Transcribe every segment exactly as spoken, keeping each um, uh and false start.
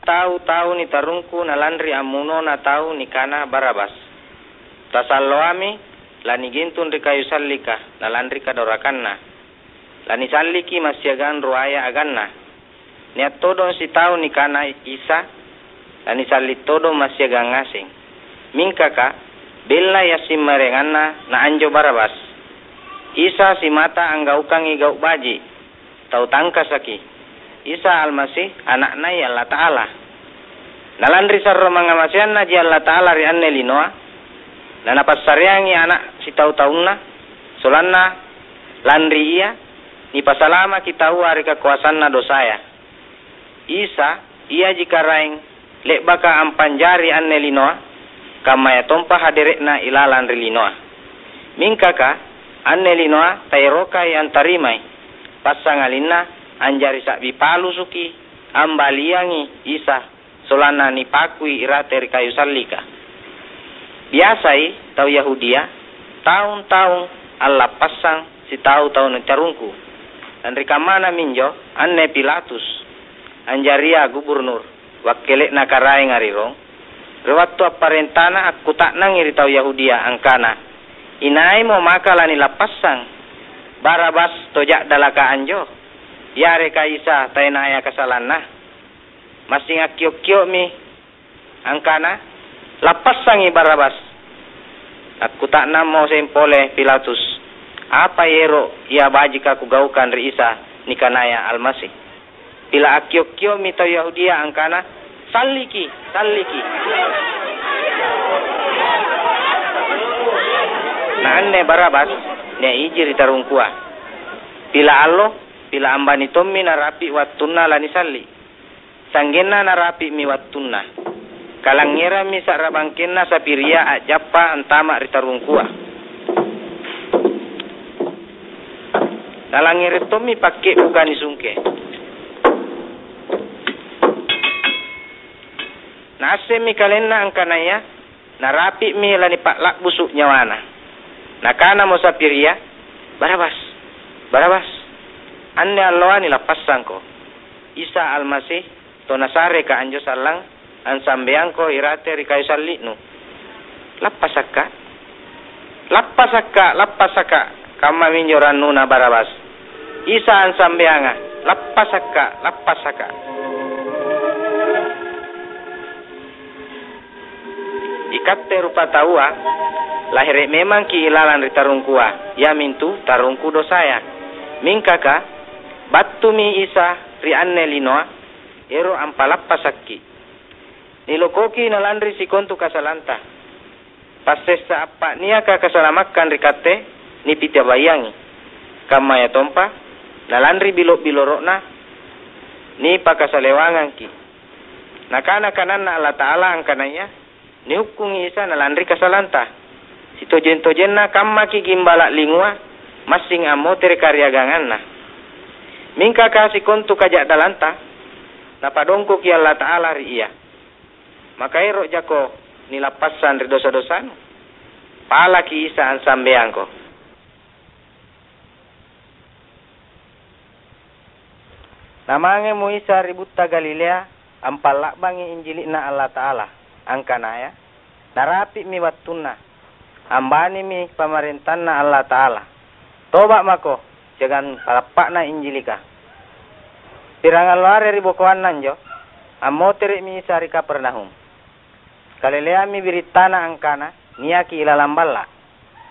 Tau-tau nitarungku nalanri ammunona tau nikana Barabas. Tasalloami lanigintung ri kayu sallika nalanri kadorakanna. Lanisalliki massiagang ruaya aganna. Nia' todong sitau nikana Isa, lanisalli' todong massiagang ngaseng. Mingkaka, bellai assimmarenganna na anjo Barabas. Isa simata anggaukangi gau' baji', tau tangkasaki. Isa Almasi, Ana'Nai Allata'ala. Na lanri sarro mangngamaseannaji Allata'ala ri anne linoa, na Napassareangi Ana' sitau-taunNa, sollanna lanri Ia, nipasalamaki taua ri kakoasanna dosaya. Isa, Iaji Karaeng le'baka ampanjari anne linoa, kammayatompa hadere'Na ilalang ri linoa. Mingkaka, anne linoa taerokai antarimai, passangalinna anjari sa'bi palusuki ambaliangi Isa sollanna nipakui irate ri kayu sallika. Biasai tau Yahudia taung-taung allappassang sitau tau nitarungku. Lanri kammana minjo anne Pilatus, anjaria guburnur, wakkele'na karaenga ri Rom, ri wattu apparentana akkuta'nangi ri tau Yahudia angkana, "Inaimo maka lanilappassang? Barabas to ja'dalaka anjo, yareka Isa taenaya kasalanna?" Massing akkio'-kio'mi angkana, "Lappassangi Barabas!" Akkuta'nammo seng pole Pilatus, "Apai ero' ia bajika kugaukang ri Isa nikanaya Almasi?" Pila akkio'-kio'mi tau Yahudia angkana, "Salliki! Salliki!" Na anne Barabas nia' iji ri tarungkua. Pila allo, pila ambani tommi narapi' wattunna lanisalli'. Sa'genna narapi'mi wattunna. Kalangngerammi sa'ra bangkenna sapiria a'jappa antama' ri tarungkua. Nalangngere' tommi pakke'buka nisungke. Naassemmi kalenna angkanaya narapi'mi lanipa'la'busu' nyawana. Nakanamo sapiria, "Barabas! Barabas! Anne alloa nilappassangko. Isa Almasi, to Nasareka anjo sallang, ansambeangko irate ri kayu salli'nu." "Lappasakka'! Lappasakka'! Lappasakka'!" Kammaminjo rannuna Barabas. "Isa ansambeanga! Lappasakka'! Lappasakka'!" Ikatte rupataua, lahere' memangki' ilalang ri tarungkua, iamintu tarungku dosaya. Mingkaka, battumi Isa ri anne linoa, ero' ampalappasakki'. Nilokoki nalanri sikontu kasalanta. Passessa appa' niaka kasalamakkang ri katte, nipitabaiangi. Kammayatompa, nalanri bilo'-biloro'na, nipakasalewangangki'. Nakana kananNa Allata'ala angkanaya, "Nihukkungi Isa nalanri kasalanta. Sitojeng-tojenna kammaki' gimbala' lingua massing ammotere' kariaganganna." Mingka kasikontu kaja'dalanta, Napadongkoki Allata'ala ri ia. Maka ero' jako nilappassang ri dosa-dosanu? Palaki Isa ansambeangko. Namangemo Isa ri butta Galilea, ampalla'bangi Injili'Na Allata'ala, angkanaya, "Narapi'mi wattunna, ambanimi pamarentanNa Allata'ala. Toba' mako, siagang palappa'na Injilika." Pirangallo are ribokoanna anjo, ammotere'mi Isa ri Kapernaum. Kaleleammi birittana angkana niaki ilalang balla'.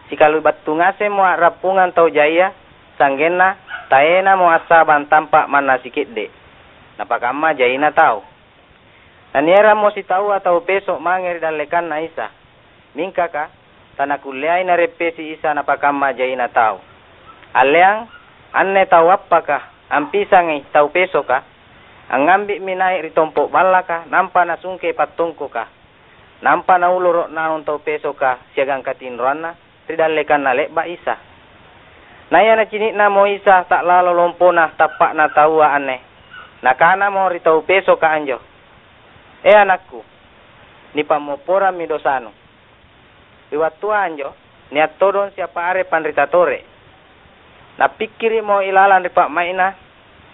Sikali battu ngasemmo a'rappungang tau jaia, sa'genna taenamo assabang tampa' manna sike'de', napakamma jaina tau. Nanierammo sitaua tau peso' mange ri dallekanNa Isa. Mingkaka, tanakulleai nareppesi Isa napakamma jaina tau. Alleang, anne tau appaka ampisangi tau pesoka, angngambi'mi nai' ri tompo' ballaka nampa nasungke pattongkoka. Nampa nauloro' naung tau pesoka siagang katinroanna ri dallekanna le'ba' Isa. Naia nacini'namo Isa ta'lalo lompona tappa'na taua anne, Nakanamo ri tau pesoka anjo, "E anakku, nipammopporammi dosanu." Ri wattua anjo, nia' todong siapa are panrita tore'. Nappikkiri'mo ilalang ri pa'mai'na,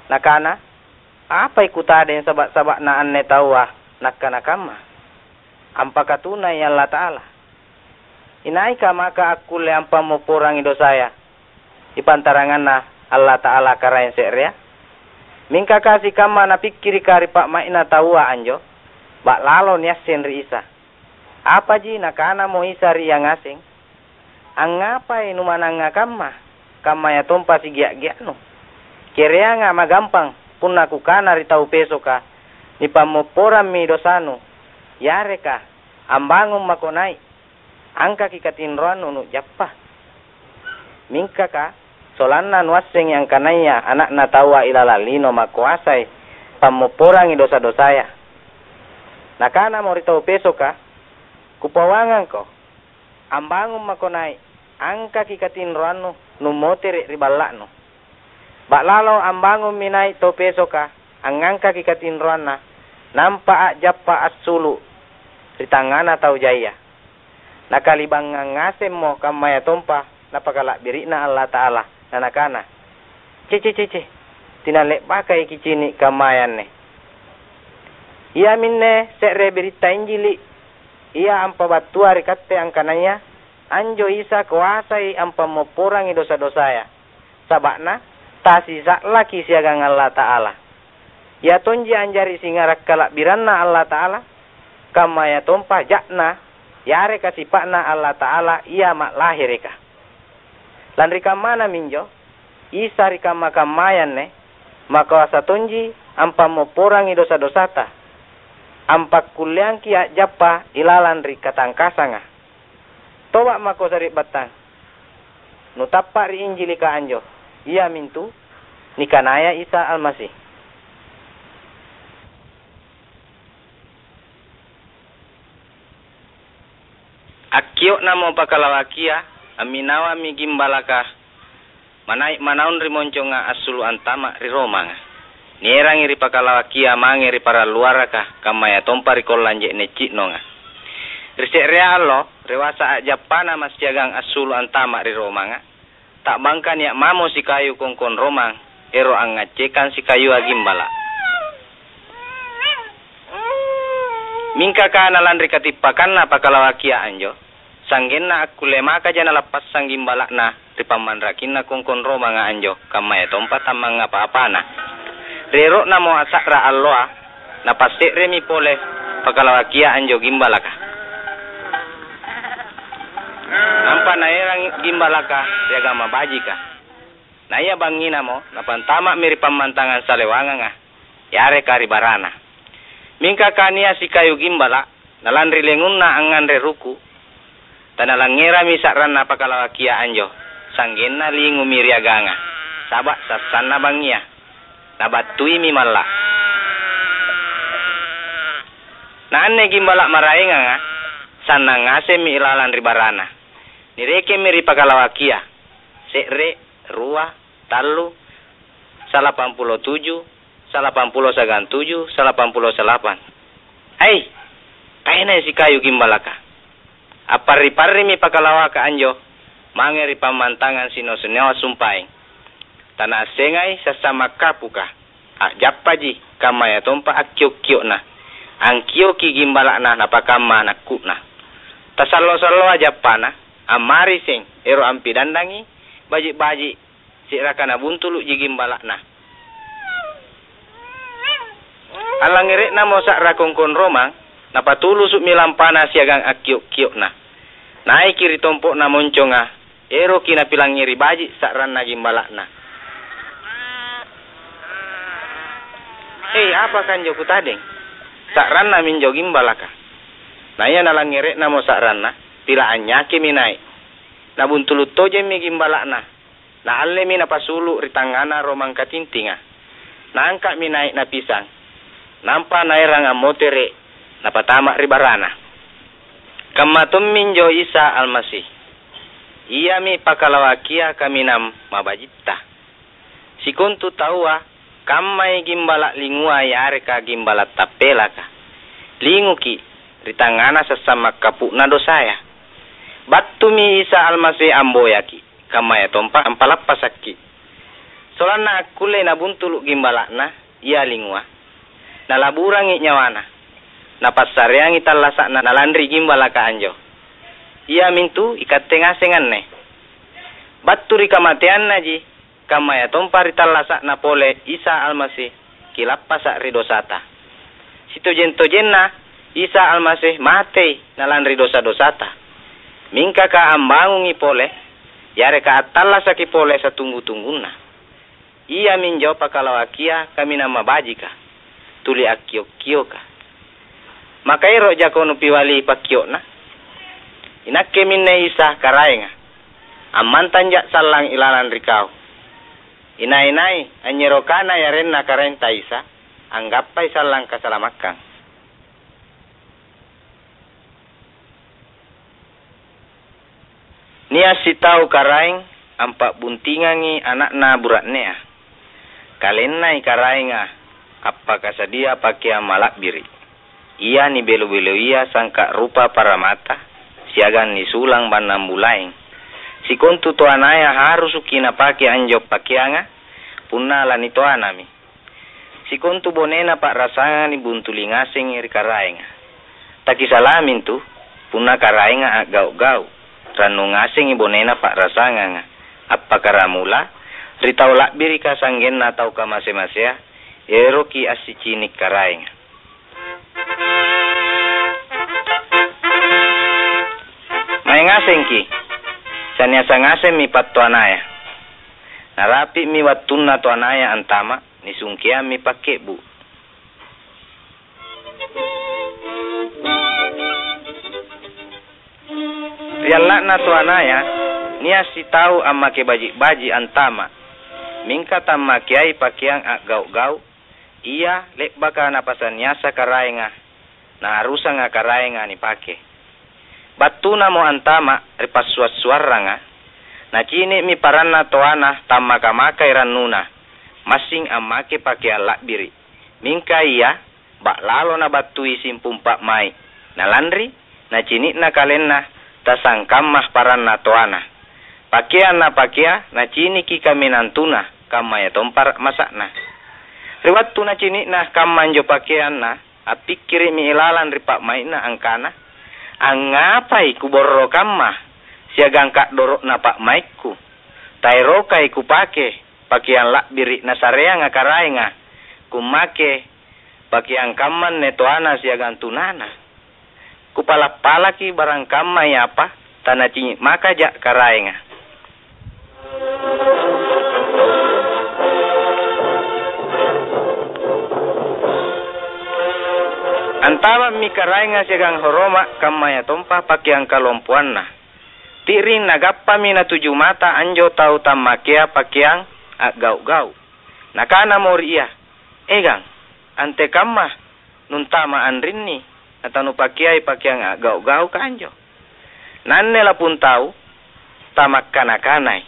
nakana, "Apai kutadeng saba'-saba'na anne taua nakkana kamma? Ampakatunai Allata'ala. Inaika maka akkulle ampammopporangi dosaya ri pantaranganna Allata'ala Karaeng se'rea?" Mingka ka sikamma napikkirika ri pa'mai'na taua anjo, ba'lalo niasseng ri Isa. Apaji Nakanamo Isa ri ia ngaseng, "Angngapai numanangnga kamma, kammayatompa sigia'-gia'nu? Kereanga' magampang punna Kukana ri tau pesoka, 'Nipammopporammi dosanu,' yareka, 'Ambangung mako nai', angkaki katinroannu nu'jappa'?" Mingka ka, sollanna nuassengi angkanaya Ana'na Taua ilalang lino makoasai pammopporangi dosa-dosaya. Nakanamo ri tau pesoka, "Kupauangangko, ambangung mako nai', angkaki katinroannu nummotere' ri balla'nu." Ba'lalo ambangummi nai' tau pesoka, angngangkaki katinroanna, nampa a'jappa assulu' ri tangngana tau jaia. Nakalibangngang ngasemmo kammayatompa Napakala'biri'na Allata'ala, na Nakana, "Cece-cece, tena le'bakai kicini' kammaya anne." Iaminne se're biritta Injili' ia ampabattua ri katte angkanaya anjo Isa koasai ampammopporangi dosa-dosaya, saba'na tasisa'laki siagang Allata'ala. Ia tonji anjari singara' kala'biranNa Allata'ala, kammayatompa ja'Na yareka sipa'Na Allata'ala Ia ma'lahereka. Lanri kammana minjo, Isa ri kamma-kammaya anne makoasa tonji ampammopporangi dosa-dosata, ampakkulleangki a'jappa ilalang ri katangkasanga. Toba' mako sari'battang, nutappa' ri Injilika anjo, iamintu nikanaya Isa Almasi. Akkio'namo pakalawakia, amminawammi gimbalaka manai' manaung ri monconga assulu' antama' ri romanga. Nierangi ri pakalawakia mange ri paralluaraka, kammayatompa ri kollang je'ne' ci'nonga. Ri se'rea allo, rewasa a'jappana massiagang assulu' antama' ri romanga, ta'bangka nia' mamo sikayu kongkong romang ero' angngaccekang sikayua gimbala'. Mingka kana lanri katippakanna pakalawakia anjo, sa'genna akkulle makaja nalappassang gimbala'na ri pammanrakinna kongkong romanga anjo, kammayatompa tammangngapa-apana. Ri ero'namo asa'ra alloa, napasse'remi pole pakalawakia anjo gimbalaka. Nampa naerang gimbalaka siagang mabajika. Naia bangnginamo, napantama'mi ri pammantangang salewanganga, yareka ri barana. Mingka kania sikayu gimbala', na lanri lengunna angnganre ruku', tanalangngerami sa'ranna pakalawakia anjo, sa'genna lingumi ri aganga, saba' sassanna bangngia. Nabattuimi malla'. Na anne gimbala' maraenganga, sannang ngasemmi ilalang ri barana. Nirekemmi ri pakalawakia, se're, rua, tallu, salapampulo tuju, salapampulo siagang tuju, salapampulo salapang. Ai, taenai sikayu gimbalaka. Apparri-parrimi pakalawaka anjo mange ri pammantangang sino-sinoa sumpaeng. Tanaassengai sassang makkapuka, a'jappaji, kammayatompa akkio'-kio'na. Angkioki gimbala'na napakamma nakku'na. Tasallo-salloa jappana, ammariseng, ero' ampidandangi baji'-baji' se'raka nabuntulu'ji gimbala'na. Allangngere'namo sa'ra kongkong romang, napatulusu'mi lampana siagang akkio'-kio'na. Naiki ri tompo'na monconga, eroki napilangngeri baji' sa'ranna gimbala'na. "Hei, apaka anjo kutadeng? Sa'ranna minjo gimbalaka." Naia nalanngere'namo sa'ranna, pila anynyakimi nai'. Nabuntulu' tojemmi gimbala'na. Naallemi napasulu' ri tangngana romang katintinga. Naangka'mi nai' napisang. Nampa naerang ammotere', napatama' ri barana. Kamma tomminjo Isa Almasi. Iami pakalawakia kaminang mabajitta. Sikontu taua, kammai gimbala' lingua yareka gimbala' tappelaka. Linguki' ri tangngana sassang makkapu'na dosaya. Battumi Isa Almasi amboyaki', kammayatompa ampalappasakki'. Sollanna akkullei nabuntulu' gimbala'na, ia lingua. Nalaburangi nyawana. Napassareangi tallasa'na nalanri gimbalaka anjo. Iamintu ikatte ngaseng anne. Battu ri kamateannaji, kammayatompa ri tallasa'na pole Isa Almasi, kilappasa' ri dosata. Sitojeng-tojenna Isa Almasi matei nalanri dosa-dosata. Mingka ka ambangungi pole, yareka attallasaki pole satunggu-tunggunna. Iaminjo pakalawakia kaminang mabajika, tuli akkio'-kioka. Maka ero' jako nupiwali pakkio'na? Inakke minne Isa Karaenga, ammantanja' sallang ilalang ri kau. Inai-nai anynyerokana yarenna Karaenta Isa, anggappai sallang kasalamakkang. Nia' sitau karaeng ampa'buntingangi ana'na bura'nea. Kalennai karaenga appakasadia pakeang mala'biri', ia nibelo-beloia sangka' rupa paramata siagang nisulang bannang bulaeng. Sikontu toanaya harusuki napake anjo pakeanga punna lanitoanami. Sikontu bonena pa'rasanga nibuntuli ngasengi ri karaenga. Takisalamintu, punna karaenga a'gau'-gau', rannu ngasengi bonena pa'rasanganga, appakkaramula ri tau la'birika sa'genna tau kamase-masea, eroki assicini' karaenga. Mae ngasengki, saniasa ngasemmi pattoanaya. Narapi'mi wattunna toanaya antama', nisungkeammi pakke'bu'. Ri alla'na toanaya, nia' sitau ammake baji'-baji' antama', mingka tammakeai pakeang a'gau'-gau', ia le'baka napasaniasa karaenga, naharusanga karaenga nipake. Battunamo antama' ri passua'-suarranga, nacini'mi paranna toana tammaka-makai rannuna, massing ammake pakeang la'biri'. Mingka ia ba'lalo nabattui simpung pa'mai', nalanri nacini'na kalenna tasangkamma paranna toana. Pakeang napakea naciniki kaminang tuna, kammayatompa ra'masa'na. Ri wattu nacini'na kamma anjo pakeanna, appikkiri'mi ilalang ri pa'mai'na angkana, "Angngapai kuborro kamma siagang ka'doro'na pa'maikku? Taerokai kupake pakeang la'biri' nasareanga karaenga, kummake pakeang kamma anne toana siagang tunana. Kupala'-palaki barangkammai apa, tanacini' makaja' karaenga." Antama'mi karaenga siagang horoma', kammayatompa pakeang kalompoanna. Ti'ring nagappami natuju mata anjo tau tammakea pakeang a'gau'-gau'. Nakanamo ri ia, "Egang, antekamma nuntama anrinni, natanupakeai pakeang a'gau'-gau'ka anjo? Naanne lapung tau tamakkana-kanai,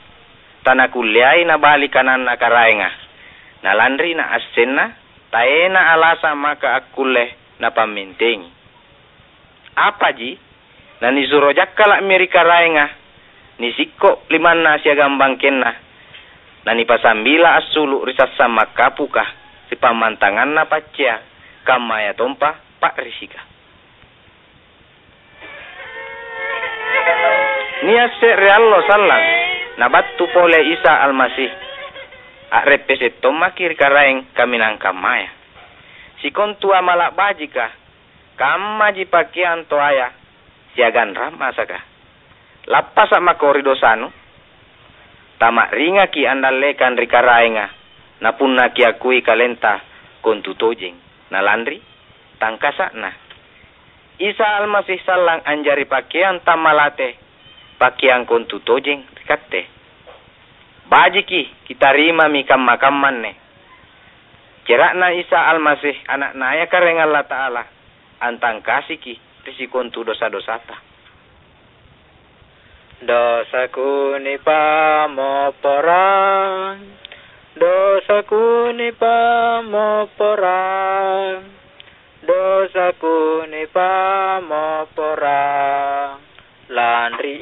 tanakulleai nabali kananna karaenga, nalanri naassenna taena alasang maka akkulle napammentengi. Apaji, nanisuro jakkala'mi ri karaenga, nisikko' limanna siagang bangkenna, nanipasambila assulu' ri sassang makkapuka ri pammantanganna paccea, kammayatompa pa'risika." Nia' se're allo sallang, nabattu pole Isa Almasi. A'reppese' tommaki ri Karaeng kaminang kammaya. Sikontu amala' bajika, kammaji pakeang toaya siagang rammasaka. Lappasa' mako ri dosanu, tama'ringaki andallekang ri Karaenga, na punna kiakui kalenta kontu tojeng, na lanri tangkasa'Na. Isa Almasi sallang anjari pakeang tammalate, pakeang kontu tojeng ri katte. Bajiki kitarimami kamma-kamma anne. Cera'Na Isa Almasi, Ana'naya Karaeng Allata'ala, antangkasiki ri sikontu dosa-dosata. Dosaku nipammopporang, dosaku nipammopporang, dosaku nipammopporang, lanri